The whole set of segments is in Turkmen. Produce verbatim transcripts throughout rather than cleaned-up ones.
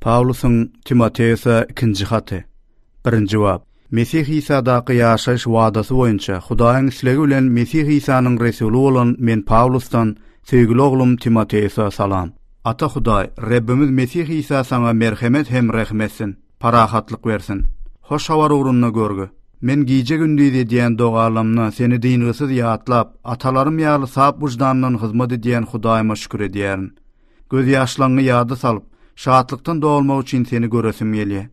Pawlusyň Timoteosa ikinji haty. Birinji bap. Mesih Isadaky ýaşaýyş wadasy boýunça Hudaýyň islegi bilen Mesih Isanyň resuly bolan men Pawlusdan söýgüli oglum Timoteosa salam. Ata Hudaý, Rebbimiz Mesih Isa saňa merhemet hem rehim etsin, parahatlyk bersin. Hoş habar ugrunda görgi. Men gije-gündiz edýän dogalamda seni dyngysyz ýatlap, atalarym ýaly sap wyždandan hyzmat edýän Hudaýyma şükür edýärin. Gözýaşlaryňy ýada salyp, şatlykdan dolmak üçin seni göresim gelýär.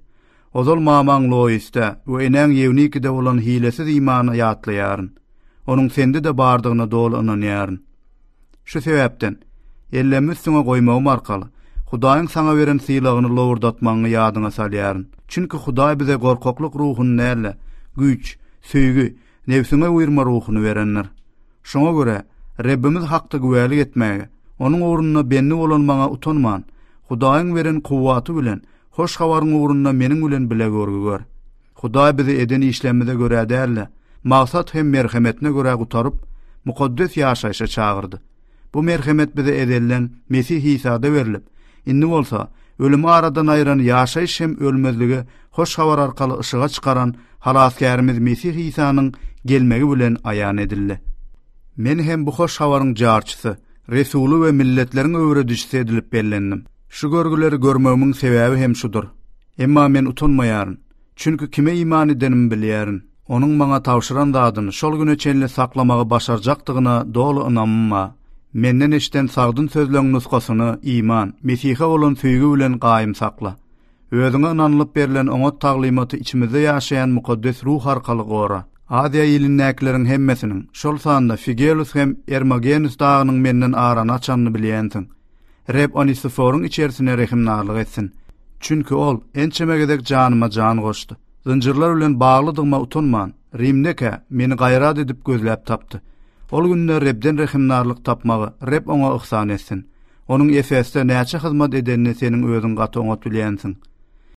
Ozal mamaň Loisde we enäň Ýewnikide bolan hilesiz imany ýatlaýaryn. Onuň sende-de bardygyna doly ynanýaryn. Şu sebäpden ellerimi üstüňe goýmagym arkaly Hudaýyň saňa beren sylagyny lowurdatmagyňy ýadyňa salýaryn. Çünki Hudaý bize gorkaklyk ruhuny däl-de, güýç, söýgi, nebsiňe buýurma ruhuny berendir. Şoňa görä Rebbimiz hakda güwälik etmäge, onuň ugrunda bendi bolan maňa utanman, Hudaýyň beren kuwwaty bilen hoş habaryň ugrunda meniň bilen bile görgi gör. Hudaý bizi eden işlerimize görä däl-de, maksat hem merhemetine görä gutaryp, mukaddes ýaşaýşa çagyrdy. Bu merhemet bize ezelden Mesih Isada berilip, indi bolsa ölümi aradan aýyran ýaşaýyş hem ölmezlige hoş habar arkaly yşyga çykaran halasgärimiz Mesih Isanyň gelmegi bilen aýan edildi. Men hem bu hoş habaryň jarçysy, resuly we milletleriň öwredijisi edilip bellendim. Şu görgüleri görmegimiň sebäbi hem şudur. Emma men utanmaýaryn. Çünki kime iman edenimi bilýärin. Onuň maňa tabşyran zadyny şol güne çenli saklamagy başarjakdygyna doly ynamym bar. Menden eşiden sagdyn sözleň nusgasyny iman, Mesihe bolan söýgi bilen gaýym sakla. Özüňe ynanylyp berlen oňat taglymaty içimizde ýaşaýan mukaddes ruh arkaly gora. Aziýa ilindäkileriň hemmesiniň, şol sanda Figelus hem Ermogenus dagynyň menden arany açanyny bilýänsiň. Reb Onisiforyň içerisine rehimdarlyk etsin. Çünki ol ençeme gezek janyma jan goşdy. Zynjyrlar bilen baglydygyma utanman, Rimdeka meni gaýrat edip gözläp tapdy. Ol günde Rebden rehimdarlyk tapmagy Reb oňa ihsan etsin. Onuň Efesde näçe hyzmat edenini seniň özüň gaty oňat bilýänsiň.